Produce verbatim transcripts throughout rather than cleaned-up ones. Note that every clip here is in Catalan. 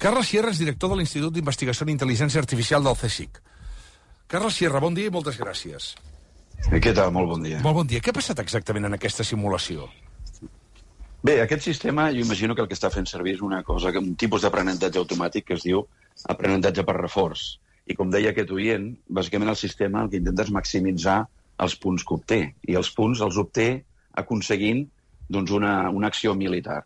Carles Sierra és director de l'Institut d'Investigació en Intel·ligència Artificial del CSIC. Carles Sierra, bon dia i moltes gràcies. Què tal? Molt bon dia. Molt bon dia. Què ha passat exactament en aquesta simulació? Bé, aquest sistema, jo imagino que el que està fent servir és una cosa, un tipus d'aprenentatge automàtic que es diu aprenentatge per reforç. I com deia aquest oient, bàsicament el sistema el que intenta és maximitzar els punts que obté. I els punts els obté aconseguint doncs, una, una acció militar.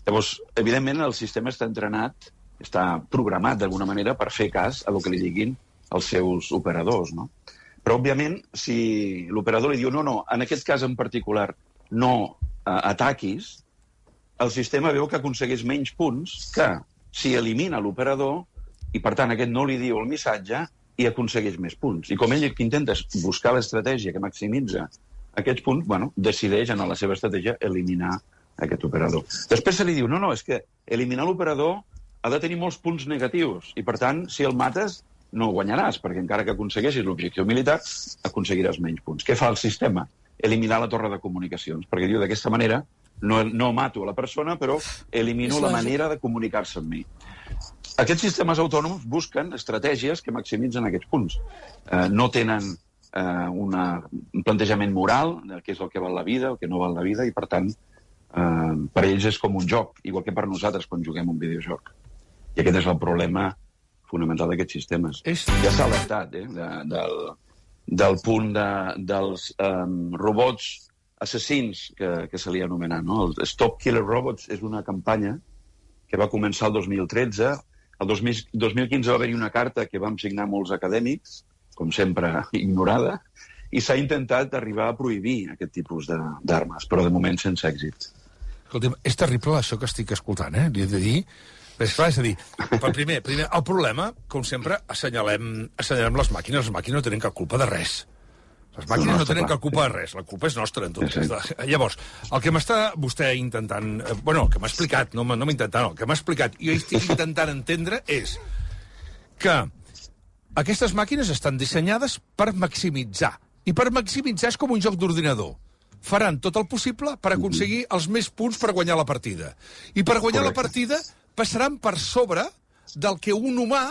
Llavors, evidentment, el sistema està entrenat, està programat d'alguna manera per fer cas a el que li diguin els seus operadors, no? Però, òbviament, si l'operador li diu no, no, en aquest cas en particular no eh, ataquis, el sistema veu que aconsegueix menys punts que si elimina l'operador i, per tant, aquest no li diu el missatge i aconsegueix més punts. I com ell que intenta buscar l'estratègia que maximitza aquests punts, bueno, decideix en la seva estratègia eliminar aquest operador. Després se li diu, no, no, és que eliminar l'operador ha de tenir molts punts negatius i, per tant, si el mates, no guanyaràs, perquè encara que aconsegueixis l'objectiu militar, aconseguiràs menys punts. Què fa el sistema? Eliminar la torre de comunicacions, perquè diu, d'aquesta manera, no, no mato a la persona, però elimino la manera de comunicar-se amb mi. Aquests sistemes autònoms busquen estratègies que maximitzen aquests punts. Eh, no tenen eh, una, un plantejament moral de què és el que val la vida, el que no val la vida, i, per tant, eh, per ells és com un joc, igual que per nosaltres quan juguem un videojoc. I aquest és el problema fonamental d'aquests sistemes. És... Ja s'ha alertat, eh, de, del, del punt de, dels um, robots assassins que, que se li anomena, no? El Stop Killer Robots és una campanya que va començar el dos mil tretze. El dos mil quinze va haver-hi una carta que vam signar molts acadèmics, com sempre ignorada, i s'ha intentat arribar a prohibir aquest tipus d'armes, però de moment sense èxit. Escolta'm, és terrible això que estic escoltant, eh? Li he de dir... És clar, és a dir, per primer, primer, el problema, com sempre, assenyalem, assenyalem les màquines. Les màquines no tenen cap culpa de res. Les màquines no tenen cap culpa de res. La culpa és nostra, en tot cas. Llavors, el que m'està vostè intentant... Bueno, el que m'ha explicat, no m'ha intentat, no, el que m'ha explicat, i jo estic intentant entendre és que aquestes màquines estan dissenyades per maximitzar. I per maximitzar és com un joc d'ordinador. Faran tot el possible per aconseguir els més punts per guanyar la partida. I per guanyar la partida passaran per sobre del que un humà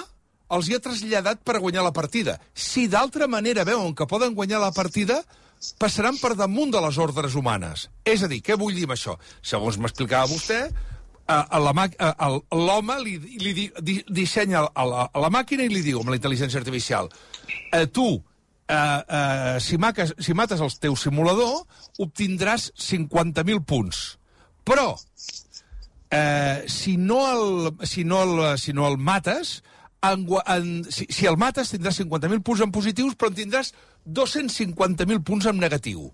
els hi ha traslladat per guanyar la partida. Si d'altra manera veuen que poden guanyar la partida, passaran per damunt de les ordres humanes. És a dir, què vull dir amb això? Segons m'explicava vostè, l'home li, li di, dissenya a la, a la màquina i li diu, amb la intel·ligència artificial, eh, tu, eh, eh, si, maques, si mates el teu simulador, obtindràs cinquanta mil punts. Però... Eh, si, no el, si, no el, si no el mates, en, en, si, si el mates tindràs cinquanta mil punts en positius, però en tindràs dos-cents cinquanta mil punts en negatiu.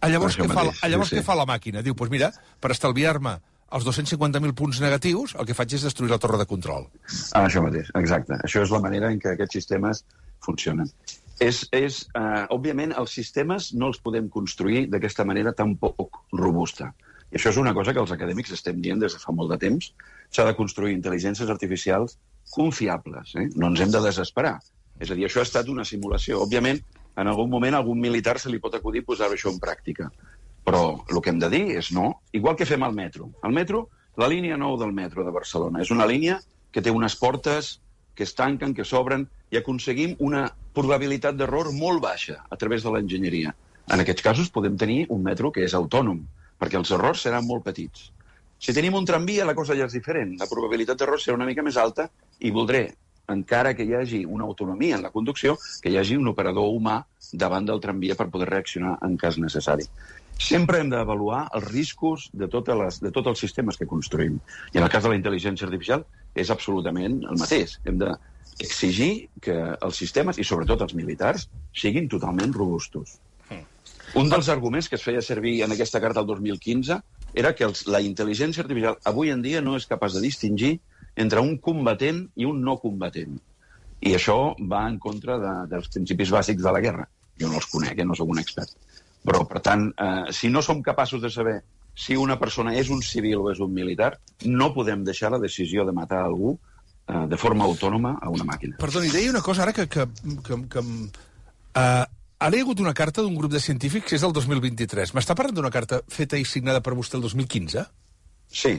A llavors, què fa, a llavors sí, sí. què fa la màquina? Diu, doncs mira, per estalviar-me els dos-cents cinquanta mil punts negatius, el que faig és destruir la torre de control. Ah, això mateix, exacte. Això és la manera en què aquests sistemes funcionen. És, és, uh, òbviament, els sistemes no els podem construir d'aquesta manera tan poc robusta. I això és una cosa que els acadèmics estem dient des de fa molt de temps. S'ha de construir intel·ligències artificials confiables. Eh? No ens hem de desesperar. És a dir, això ha estat una simulació. Òbviament, en algun moment a algun militar se li pot acudir posar això en pràctica. Però el que hem de dir és no. Igual que fem al metro. El metro, la línia nou del metro de Barcelona, és una línia que té unes portes que es tanquen, que s'obren, i aconseguim una probabilitat d'error molt baixa a través de l'enginyeria. En aquests casos podem tenir un metro que és autònom, perquè els errors seran molt petits. Si tenim un tramvia, la cosa ja és diferent. La probabilitat d'error serà una mica més alta i voldré, encara que hi hagi una autonomia en la conducció, que hi hagi un operador humà davant del tramvia per poder reaccionar en cas necessari. Sempre hem d'avaluar els riscos de, totes les, de tots els sistemes que construïm. I en el cas de la intel·ligència artificial és absolutament el mateix. Hem d'exigir que els sistemes, i sobretot els militars, siguin totalment robustos. Un dels arguments que es feia servir en aquesta carta el dos mil quinze era que els, la intel·ligència artificial avui en dia no és capaç de distingir entre un combatent i un no combatent. I això va en contra de, dels principis bàsics de la guerra. Jo no els conec, eh? No soc un expert. Però, per tant, eh, si no som capaços de saber si una persona és un civil o és un militar, no podem deixar la decisió de matar algú eh, de forma autònoma a una màquina. Perdoni, deia una cosa ara que... que, que, que uh... Ara hi ha hagut una carta d'un grup de científics que és del dos mil vint-i-tres. M'està parlant d'una carta feta i signada per vostè el dos mil quinze? Sí.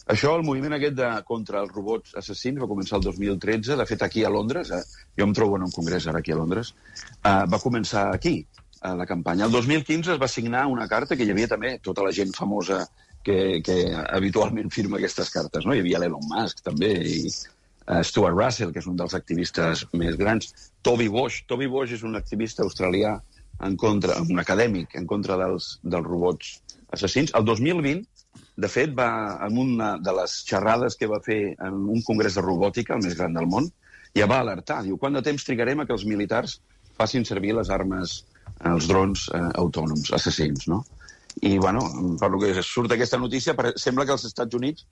Això, el moviment aquest de, contra els robots assassins va començar el dos mil tretze, de fet aquí a Londres, eh, jo em trobo en un congrés ara aquí a Londres, eh, va començar aquí, eh, la campanya. El dos mil quinze es va signar una carta que hi havia també tota la gent famosa que, que habitualment firma aquestes cartes, no? Hi havia l'Elon Musk també, i uh, Stuart Russell, que és un dels activistes més grans, Toby Bosch. Toby Bosch és un activista australià, en contra, un acadèmic, en contra dels, dels robots assassins. El dos mil vint, de fet, va en una de les xerrades que va fer en un congrés de robòtica, el més gran del món, ja va alertar. Diu, quant de temps trigarem a que els militars facin servir les armes, els drons eh, autònoms, assassins, no? I, bueno, per lo que surt aquesta notícia, sembla que els Estats Units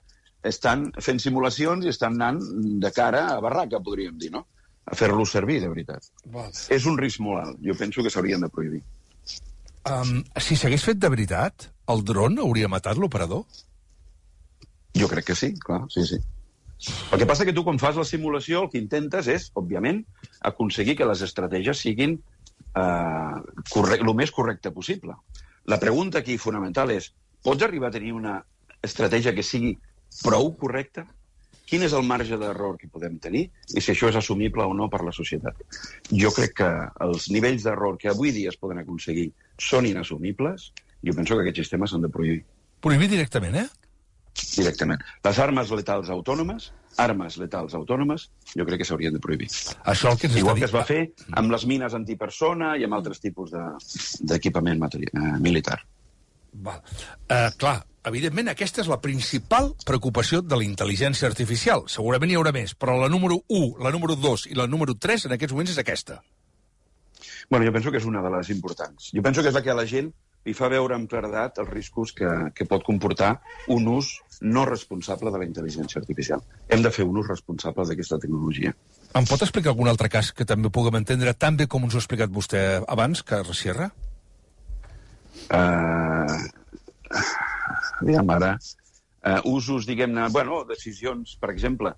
estan fent simulacions i estan anant de cara a barraca, podríem dir, no? A fer-los servir, de veritat. Val. És un risc molt alt. Jo penso que s'haurien de prohibir. Um, si s'hagués fet de veritat, el dron hauria matat l'operador? Jo crec que sí, clar, sí, sí. El que passa que tu, quan fas la simulació, el que intentes és, òbviament, aconseguir que les estratègies siguin eh, corre- el més correcte possible. La pregunta aquí fonamental és, pots arribar a tenir una estratègia que sigui prou correcta? Quin és el marge d'error que podem tenir i si això és assumible o no per la societat? Jo crec que els nivells d'error que avui dia es poden aconseguir són inassumibles. Jo penso que aquests sistemes s'han de prohibir. Prohibir directament, eh? Directament. Les armes letals autònomes, armes letals autònomes, jo crec que s'haurien de prohibir. Això el que ens Igual està que es va fer amb les mines antipersona i amb altres tipus d'equipament de, eh, militar. Val. Uh, clar, evidentment, aquesta és la principal preocupació de la intel·ligència artificial. Segurament hi haurà més, però la número u, la número dos i la número tres en aquests moments és aquesta. Bueno, jo penso que és una de les importants. Jo penso que és la que a la gent li fa veure amb claredat els riscos que, que pot comportar un ús no responsable de la intel·ligència artificial. Hem de fer un ús responsable d'aquesta tecnologia. Em pot explicar algun altre cas que també puguem entendre tan bé com ens ho ha explicat vostè abans, Carles Sierra? Uh, diguem ara, uh, usos, diguem-ne, bueno, decisions, per exemple,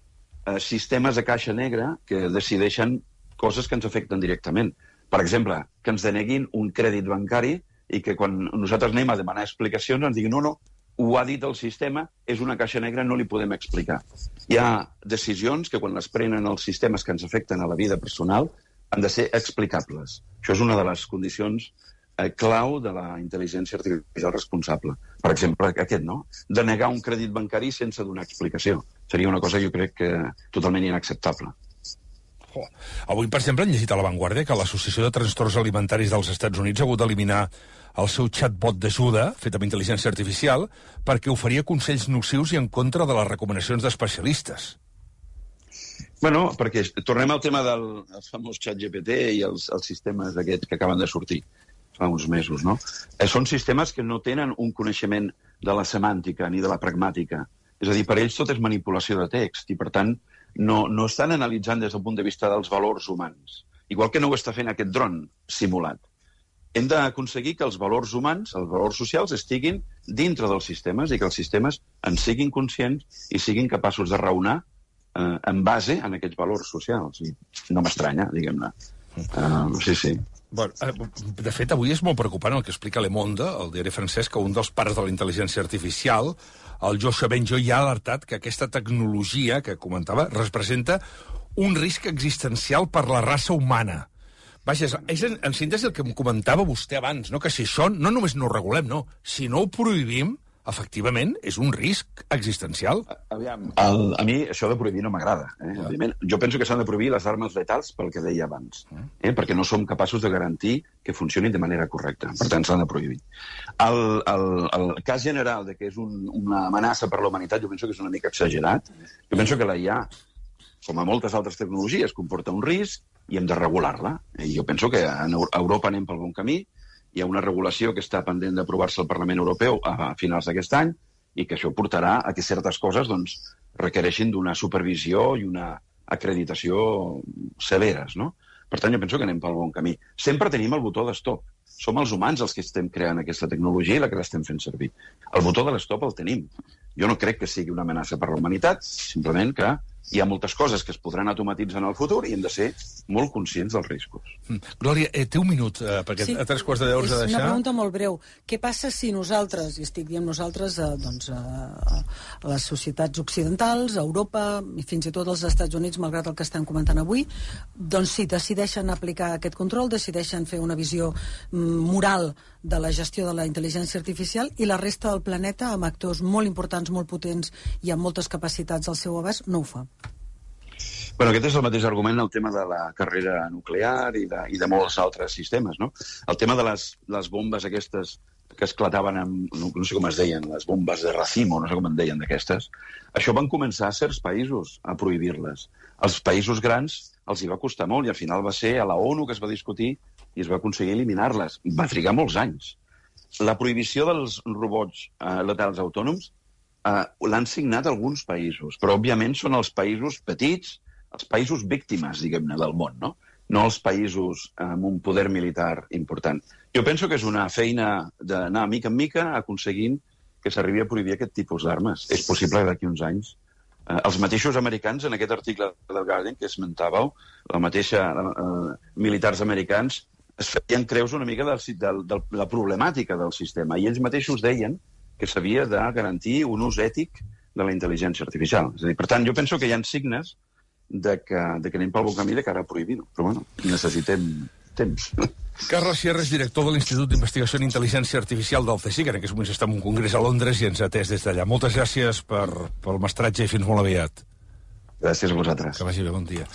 uh, sistemes de caixa negra que decideixen coses que ens afecten directament. Per exemple, que ens deneguin un crèdit bancari i que quan nosaltres anem a demanar explicacions ens diguin no, no, ho ha dit el sistema, és una caixa negra, no li podem explicar. Hi ha decisions que quan les prenen els sistemes que ens afecten a la vida personal han de ser explicables. Això és una de les condicions eh, clau de la intel·ligència artificial responsable. Per exemple, aquest, no? Denegar un crèdit bancari sense donar explicació. Seria una cosa, jo crec, que totalment inacceptable. Oh. Avui, per exemple, han llegit a La Vanguardia que l'Associació de Trastorns Alimentaris dels Estats Units ha hagut d'eliminar el seu chatbot d'ajuda, fet amb intel·ligència artificial, perquè oferia consells nocius i en contra de les recomanacions d'especialistes. Bueno, perquè tornem al tema del famós xat G P T i els, els sistemes aquests que acaben de sortir fa uns mesos, no? Eh, són sistemes que no tenen un coneixement de la semàntica ni de la pragmàtica. És a dir, per ells tot és manipulació de text i, per tant, no, no estan analitzant des del punt de vista dels valors humans. Igual que no ho està fent aquest dron simulat. Hem d'aconseguir que els valors humans, els valors socials, estiguin dintre dels sistemes i que els sistemes en siguin conscients i siguin capaços de raonar eh, en base en aquests valors socials. I no m'estranya, diguem-ne. Uh, sí, sí. Bueno, de fet, avui és molt preocupant el que explica Le Monde, el diari francès, que un dels pares de la intel·ligència artificial, el Joshua Bengio, ja ha alertat que aquesta tecnologia que comentava representa un risc existencial per la raça humana. Vaja, és en, en síntesi el que em comentava vostè abans, no? Que si això no només no ho regulem, no, si no ho prohibim, efectivament, és un risc existencial. Aviam, el, a mi això de prohibir no m'agrada. Eh? Ja. Jo penso que s'han de prohibir les armes letals pel que deia abans, eh? perquè no som capaços de garantir que funcionin de manera correcta. Per tant, s'han de prohibir. El, el, el cas general de que és un, una amenaça per la humanitat, jo penso que és una mica exagerat. Jo penso que la I A, com a moltes altres tecnologies, comporta un risc i hem de regular-la. I jo penso que a Europa anem pel bon camí. Hi ha una regulació que està pendent d'aprovar-se al Parlament Europeu a finals d'aquest any i que això portarà a que certes coses doncs, requereixin d'una supervisió i una acreditació severes, no? Per tant, jo penso que anem pel bon camí. Sempre tenim el botó d'estop. Som els humans els que estem creant aquesta tecnologia i la que l'estem fent servir. El botó de l'estop el tenim. Jo no crec que sigui una amenaça per la humanitat, simplement que Hi ha moltes coses que es podran automatitzar en el futur i hem de ser molt conscients dels riscos. Mm. Glòria, eh, té un minut, eh, perquè sí, a tres quarts de deu us ha de deixar. És una pregunta molt breu. Què passa si nosaltres, i estic dient nosaltres, eh, doncs, eh, a les societats occidentals, a Europa, i fins i tot als Estats Units, malgrat el que estem comentant avui, doncs sí, decideixen aplicar aquest control, decideixen fer una visió mm, moral de la gestió de la intel·ligència artificial, i la resta del planeta, amb actors molt importants, molt potents i amb moltes capacitats al seu abast, no ho fa. Bueno, aquest és el mateix argument el tema de la carrera nuclear i de, i de molts altres sistemes, no? El tema de les, les bombes aquestes que esclataven amb, no, no sé com es deien, les bombes de racimo, no sé com en deien d'aquestes, això van començar a certs països a prohibir-les. Als països grans els hi va costar molt i al final va ser a la ONU que es va discutir i es va aconseguir eliminar-les. Va trigar molts anys. La prohibició dels robots eh, letals autònoms eh, l'han signat alguns països, però òbviament són els països petits, els països víctimes, diguem-ne, del món, no? No els països amb un poder militar important. Jo penso que és una feina d'anar mica en mica aconseguint que s'arribi a prohibir aquest tipus d'armes. És possible que d'aquí uns anys eh, els mateixos americans, en aquest article del Guardian que esmentàveu, la mateixa eh, militars americans es feien creus una mica del, del, de la problemàtica del sistema i ells mateixos deien que s'havia de garantir un ús ètic de la intel·ligència artificial. És a dir, per tant, jo penso que hi ha signes de que, de que anem pel bon camí de cara a prohibir-ho. Però, bueno, necessitem temps. Carles Sierras, director de l'Institut d'Investigació en Intel·ligència Artificial del C S I C, que en aquests moments està en un congrés a Londres i ens ha atès des d'allà. Moltes gràcies per, pel mestratge i fins molt aviat. Gràcies a vosaltres. Que vagi bé, bon dia.